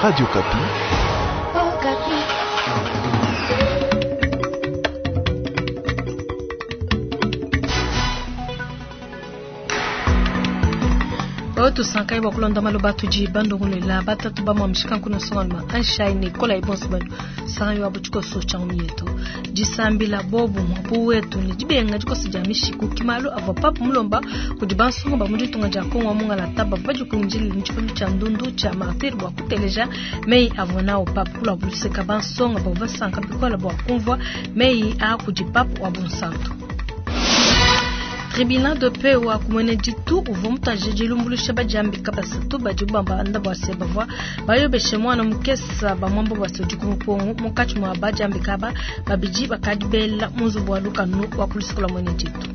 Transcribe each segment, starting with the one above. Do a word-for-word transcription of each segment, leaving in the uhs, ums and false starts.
Radio Okapi. Tusankai bua kulonda maloba tudi bandongolela batatu ba mwamishika nkuna songalma anshai ne kola ibonso banu sangai wa butshikoso tsha mietu disambila bobu mwapu wetu ne dibenga dikoso dia mishiku kimalo avua papu mulomba kudi bansonga ba mu ditunga dia Kongo mungala taba badi kunjili ntshikondo tsha ndundu tsha martir bua kuteleja mei avua nao papu kula buluseka bansonga bavua basanka bikola bua kumvua mei a kudi papu wa bunsantu. Tribunal de paix wa kumwene ditu uvua mutaje dilumbuluisha badiambika basatu badi bamba bua se bavua bayobeshe mwana mukesa bamwamba bua se udi ku mupongo munkatshi mua badiambika aba babidi bakadi bela mu nzubu wa lukanu wa ku mwene ditu.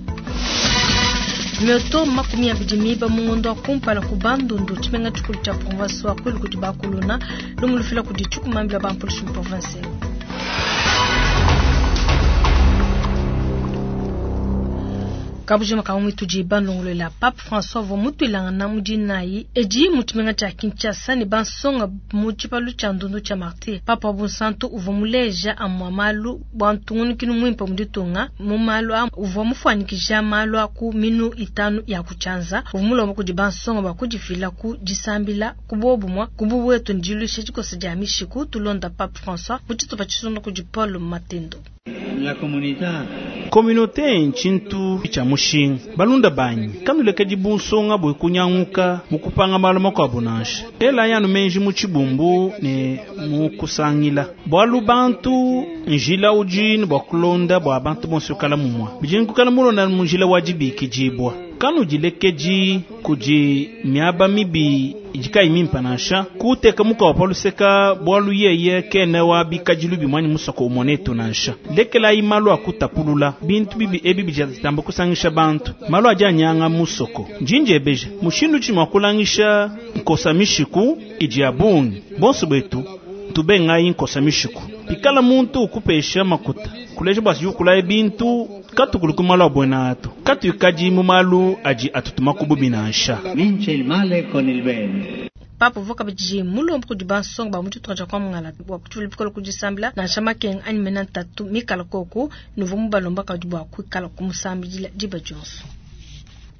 Mioto makumi abidi miba mu ngondo wa kumpala ku Bandundu tshimenga tshikulu tshia province wa Kwilu kudi bakuluna lumulufila kudi tshikumambila ba mpolisi mu province. Kabujima ka tudi bandongolela Pape François vo mutuilanga mudinayi edi mutumenga tshia Kinshasa ne bansonga mu tshipalu tshia ndundu tshia martyr Papa Bunsantu uvua muleja amwa malu bua ntungunukinu muimpe mu ditunga mu malu a uvua mufuanyikija malu a ku minu itanu ya kutshianza uvua mulomba kudi bansonga bua kudifila ku disambila ku bobumwa ku buwetu ndiluisha dikosa dia mishiku tulonda Pape François mu tshitupa tshisunda kudi Paul Matendo. La comunità Communauté nchintu cha mushinga balunda banyi kanulekedi bunsonga bwe kunyanguka mukupanga malu makuabu nansha ela yanu menji mu tshibumbu ne mukusangila bwalu bantu njila udi bua kulonda bua bantu bonso kala mumwa bidi nkukala mulonda mu njila wa dibikidibwa kanudilekedi kudi miaba mibi idikai mimpa nansha kuteka muka paluseka bwalu yeye kene wa bikadilu bimwani musoko umonetu nansha lekelayi malu akutapulula bintu bibi ebi bijatamba kusangisha bantu malu adi anyanga musoko njinjebeje mushindu tshimwa kulangisha nkosa mishiku idi ya bungi bonso betu tubengayi nkosa mishiku pikala muntu ukupesha makuta kuleja bwasi yukulaye bintu katukulu kumalu abwena atu katuikadi mu malu adi atutuma kububi nansha. Vince il male con il bene. Papu voka bidi mulomba kudi bansonga ba mu ditunga dia Kwamangala bua kutshivula kudisambila nansha makenga anyi mena ntatu mikala koku nuvu mubalomba kadi bua kuikala kumusambidila diba dionso.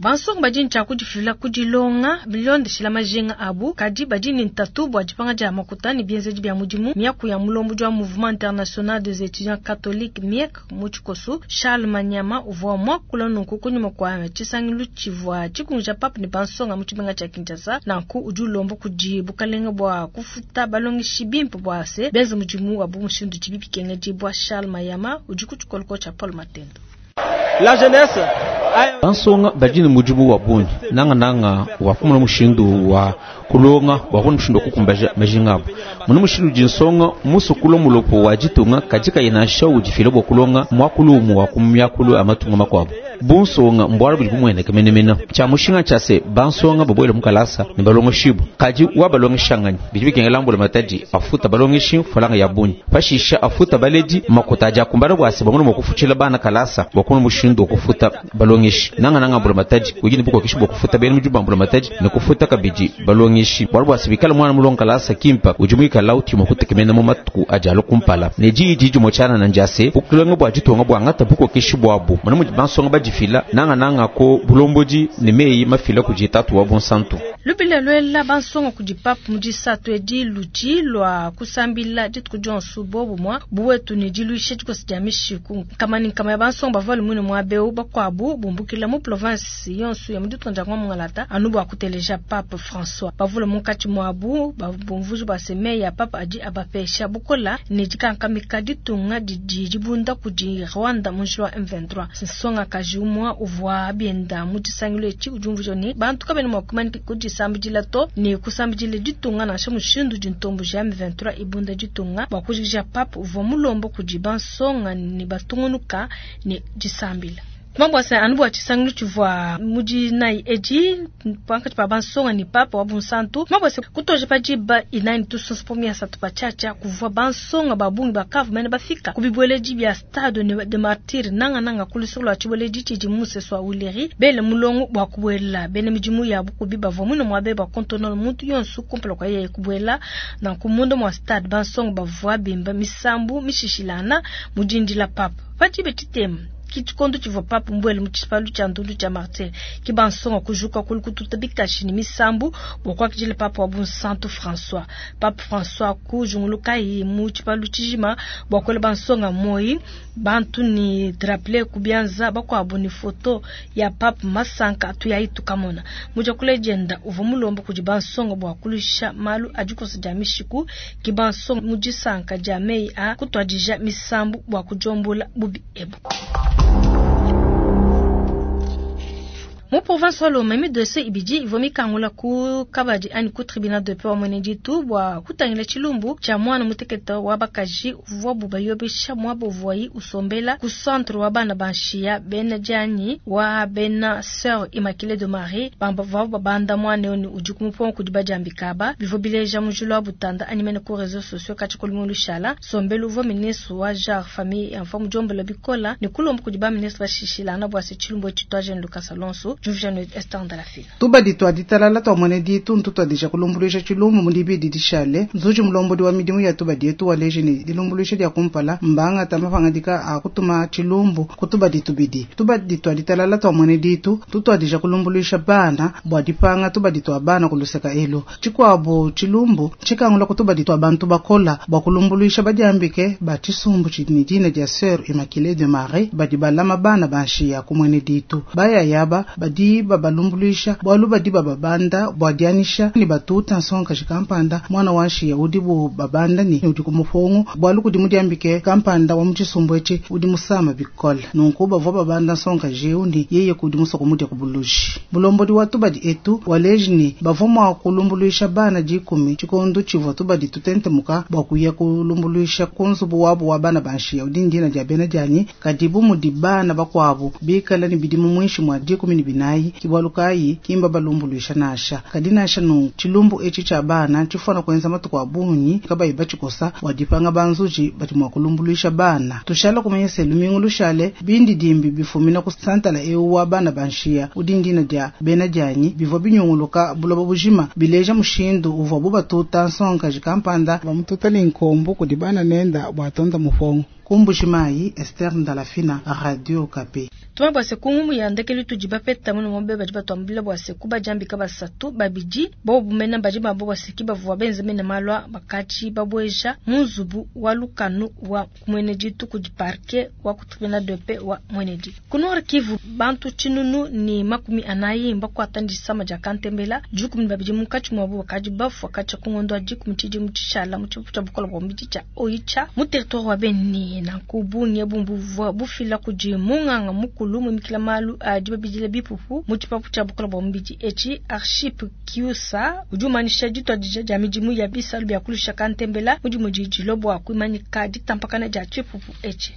Bansonga badi ntshia kudifila kudilonga bilondeshila majinga abu kadi badi ne ntatu bua dipanga dia makuta ne bienzedi bia mudimu miaku ya mulombo wa Mouvement International des Étudiants Catholiques M I E C mu tshikoso Charles Manyama uvua muakula nunku kunyima kua tshisangilu tshivua tshikunja papu ne bansonga mu tshimenga tshia Kinshasa nanku udi ulomba kudi bukalenga bua kufuta balongeshi bimpe bua se benze mudimu wabu mushindu tshibi bikengedibua. Charles Mayama udi ku tshikoloko tshia Paul Matendo. La jeunesse bansonga badi ne mudimu wa bungi nanga nanga wa kumona mushindu wa kulonga wa kumona mushindu wa kukumbaja majinga abu muna mushindu udi nsonga musukula mulopo wa ditunga kadi kayina udifila bua kulonga muakulu wa kumyakulu amatunga makuabu bunsonga mbwala budi bumueneka menemene tshia mushinga tshia se bansonga babuele mukalasa ne balongeshibu kadi wa balongeshanganyi bidi bikengela mbula matadi afuta balongeshi falanga ya bungi pashisha afuta baledi makuta adi akumbana bua se bamona mua kufutshila bana kalasa bua kumona mushindu wa kufuta balongeshi nanga nanga mbula matadi udi ne bukokeshi bua kufuta bena mudimu ba mbula matadi ne kufuta kabidi balongeshi bwalu bua se bikala mwana mulonga kalasa kimpa udi muikala utima kutekemena mu matuku adi alo kumpala ne diyi didi motshana na ndia se bukulonga bua ditunga bua ngata bukokeshi buabu mona mudi bansonga badifila nanga nanga ko bulombodi ne meyi mafila kudi tatu wa bonsantu lubila lwela bansonga kudi papu mudisatu edi ludi lwa kusambila dituku dionso bobumwa buwetu ne diluisha dikosa dia mishiku nkama ne nkama ya bansonga bavua lumune muabeu bakuabu bumbukila mu province yonso ya muditunga dia Ngalata anu bua kuteleja Pape François bavula munkatshi muabu bumvuji bua se meyi ya Pape adi abapesha bukola ne dikankamika ditunga didi dibunda kudi Rwanda mu njila wa M vingt-trois. Nsonga kaji umwa uvua bienda mu tshisangilu etshi udi umvuija ne bantu kabena mua kumanya kudisambidila to ne kusambidila ditunga nansha mushindu dintombo ja M vingt-trois ibunda ditunga bua kujikija Pape uvua mulomba kudi bansonga ne batungunuka ne disambila. Tumabwasa anu bua tshisangilu tshivua mudi nayi edi pankatshi pa bansonga ni papa wa bunsantu. Tumabwasa kutoja pa diba inayi tusonso po miasatu pa tshiatshia kuvua bansonga ba bungi bakavu mene bafika ku bibueledi bia stade de martyr nanga nanga ku luseke lua tshibueledi tshidi mu musesu wa Uleri bele mulongo bua kubuela bena midimu ya bukubi bavua muine muabe ba kontonola muntu yonso kumpala kwa yeye kubuela nanku munda mua stade bansonga bavua bimba misambu mishishilana mudindila papa padibe tshitema kitshikondo tshivua papa mbuele mu tshipalu tshia ndundu tshia martyr ki bansonga kujuka kulu kututa bikashi ni misambu bua kuakidila papa wa bunsantu François. Papa François kujungulukayi mu tshipalu tshijima bua kuela bansonga moyi bantu ni drapeau kubianza bakuabu ni foto ya papa masanka atuyayi tukamona muja kulejenda uvua mulomba kudi bansonga bua kulusha malu adikosa dia mishiku ki bansonga mu disanka dia meyi a kutuadija misambu bua kujombola bubi ebu. Mu province wa Lomami dossier ibidi ivua mikangula ku kabadi anyi ku tribunal de paix wa Mweneditu bua kutangila tshilumbu tshia mwana mutekete wa bakaji uvuabu bayobesha muaba uvuayi usombela ku centre wa bana banshiya bena dianyi wa bena Sœur Immaculée de Marie bambavua babanda mwana yoni udi kumupongo kudi badiambika ba bivua bileja mujulu wa butanda anyi mene ku réseaux sociaux katshikulu lushala sombelu uvua ministre wa genre famille enfant mujombola bikola ne kulomba kudi ba ministre bashishilana bua se tshilumbu etshi Lucas Alonso. Tubadi twaditalala twamwene ditu ntutwadija kulumbuluisha tshilumbu mudibidi dishale nzuji mulombodi wa midimu ya tubadi etu waleji ne dilumbuluisha dia kumpala mbanga tamapangadika a kutuma tshilumbu kutubadi tubidi. Tubadi twaditalala twamwene ditu tutwadija kulumbuluisha bana bua dipanga tubadi twa bana kuluseka elu tshikuabu tshilumbu tshikangula kutubadi twa bantu bakola bua kulumbuluisha badiambike ba tshisumbu tshidi dina dia Sœur Immaculée de Marie badi balama bana banshiya kumwene ditu baya yaba badi babalumbuluisha bwalu badi bababanda bwa dianisha ni batuta nsonga kampanda mwana wanshiya udi bu babanda ni udi kumufongo bwalu kudi mudiambike kampanda wa mutshisumbu etshi udi musama bikole nunku bavua babanda nsonga jeundi yeye kudi musoko mudia kubuluji bulombodi wa tubadi etu waleji ni bavua mua kulumbuluisha bana dikumi tshikondo tshivua tubadi tutentemuka bua kuya kulumbuluisha ku nzubu wabu wa bana banshiya udi ndina dia bena dianyi kadi bu mudi bana bakuabu bikala ni bidimu mwinshi mwa dikumi ni binayi kibwalukayi kimba balumbuluisha nasha kadi nasha nu tshilumbu etshi tshia bana tshifuna kuenza matuku a bungi kabayi batshikosa bua dipanga banzuji badi mua kulumbuluisha bana tushala kumanya se lumingu lushale bindi dimbi bifumina ku santala eu wa bana banshiya udi ndina dia bena dianyi bivua binyunguluka buloba bujima bileja mushindu uvua bubatuta nsongaji kampanda bamututa linkombu kudi bana nenda bua tonda mufongo. Kumbujimayi, Esther Ndalafina, Radio Okapi. Tuma bwase kungumu ya ndekeli tudi bapeta muno mobe badi batwambila bwase kuba jambika basatu babidi bo bumena badi babo bwase kibavuwa benze mene malwa bakati babweja munzubu wa lukanu wa Mweneditu kudi parquet wa ku tribunal de paix wa Mweneditu. Ku Nord Kivu bantu tshinunu ni makumi anayi mbakwata ndisama dia kantembela dikumi babidi munkatshi muabu bakadi bafua katshia ku ngondo wa dikumi tshidimu tshishala mu tshipu tshia bukola bua mubidi tshia Oicha mu territoire wa Beni. Nanku bungi bumvua bufila kudi munganga mukulu mumikila malu adi babidila bipupu mu tshipapu tshia bukola bua mubidi etshi Archip Kiusa udi umanisha dituadija dia midimu ya bisalu bia kulusha kantembela mudimu didilo bua kuimanyika ditampakana dia tshipupu etshi.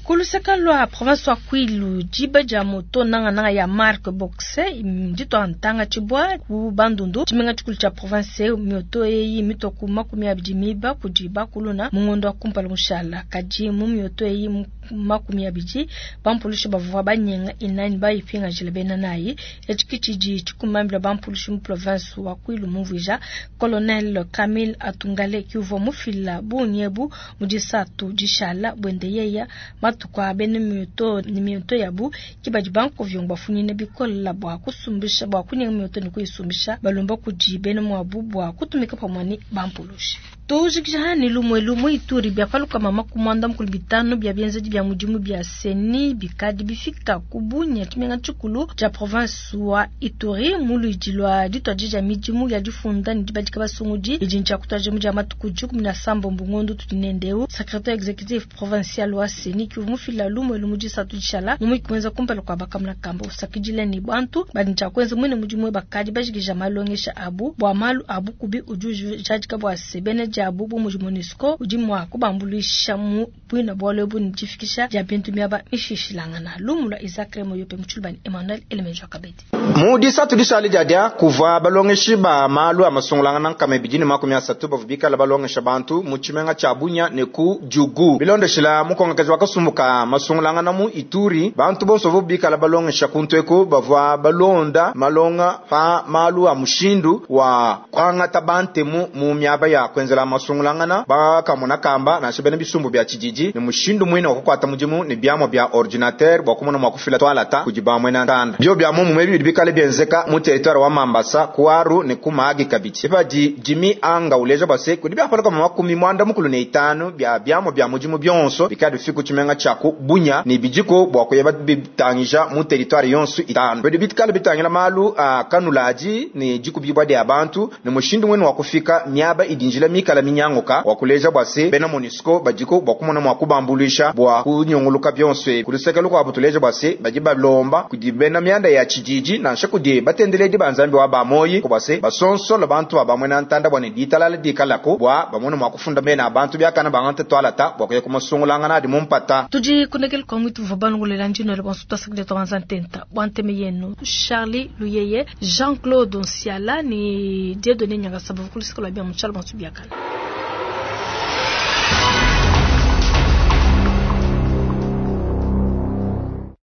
Kuluseka lwa province wa Kwilu diba dia moto nanga nanga ya marque Boxe ndito ntanga tshibwa ku Bandundu tshimenga tshikulu tshia province mioto eyi mitoku makumi abidi miba kudi bakuluna mu ngondo wa kumpala mushala kadi mu mioto eyi makumi abidi bampulushi bavua banyenga inani bayipingajila bena nayi etshi kitshidi tshikumambila bampulushi mu province wa Kwilu mumvuija colonel Camille Atungale kiuvua mufila bunyebu mu disatu dishala bwende yeya matuku a bena mioto ni mioto yabu kibadi bankovyongo bafunyine bikola bua kusumbisha bua kunyenga mioto ni kuyisumbisha balomba kudi bena muabu bua kutumika pamue ni bampulushi. Tujikija hani lumwe lumwe Ituri bia paluka mama kumwanda mukulu bitano bia bienzedi bia mudimu bia seni bikadi bifika kubunya tshimenga tshikulu tshia province wa Ituri muluidi lwa dituadija midimu ya difunda ni dibadika basungudi idi ntshia kutuadija mu dia matuku dikumi na sambombo ngondo tudi nendeu secrétaire exécutif provincial wa seni kivu mufila lumwe lumu disatu dishala mumiki kuenza kumpala kwa bakamuna kamba usakidila ni bantu badi ntshia kuenza mwene mudimu bakadi bajikija malongesha abu bua malu abu kubi udi ujadika bua se bena diabu bu mudi MONUSCO udi mua kubambuluisha mu buina bualu ebu ne difikisha dia bintu miaba mishilashilangana. Lumu lua Isaac Remoyope mu Tshiluba ne Emmanuel Elemenjo Kabedi. Mu disatu dishale diadia kuvua balongeshi ba malu a masungulangana nkama ibidi ne makumi asatu bavua bikala balongesha bantu mu tshimenga tshia Bunia ne ku Djugu. Bilondeshila mukongakaji wa kasumbu ka masungulangana mu Ituri, bantu bonso bavua bikala balongesha kuntu eku bavua balonda malonga pa malu a mushindu wa kuangata bantemu mu miaba ya kuenzela masungulangana bakamona kamba nansha bena bisumbu bia tshididi ne mushindu muine wa kukuata mudimu ne biamua bia ordinateur bua kumona mua kufila toalata kudi bamue na ntanda. Bio bia muomumue bidi bikale bienzeka mu territoire wa Mambasa, ku Aru ne ku Mahagi kabidi. Epadi Jimmy Anga uleja bua se kudi biapala kama makumi mwanda mukulu ne itanu bia biamua bia mudimu bionso bikale bifika ku tshimenga tshia ku Bunia ne bidiko bua kuyeba bitangija mu territoire yonso itanu. Bidi bikale bitangila malu a kanuladi ne dikubibua dia bantu ne mushindu mwene wa kufika miaba idi njila mikala minyanguka wa kuleja bua se bena MONUSCO badiko bua kumona mua kubambuluisha bua kunyunguluka bionso ebi. Kuluseke lukuabu tuleja bua se badi balomba kudi bena mianda ya tshididi nansha kudi batendeledi ba Nzambi wa bamoyi bua se basonsola bantu ba bamwe na ntanda bua ne ditalala dikalako bua bamone mua kufunda mena abantu biakana bangante toalata bua kuya kumasungulangana adi mu mpata. Tudi kunekele kwa mwitu vua balongolela ndino le bonso twasakile twanza ntenta bua nteme yenu Charlie Luyeye, Jean-Claude Nsiala ni Dieudonné Nyangasaba kuluseke lua bia mu tshialo bonso biakana.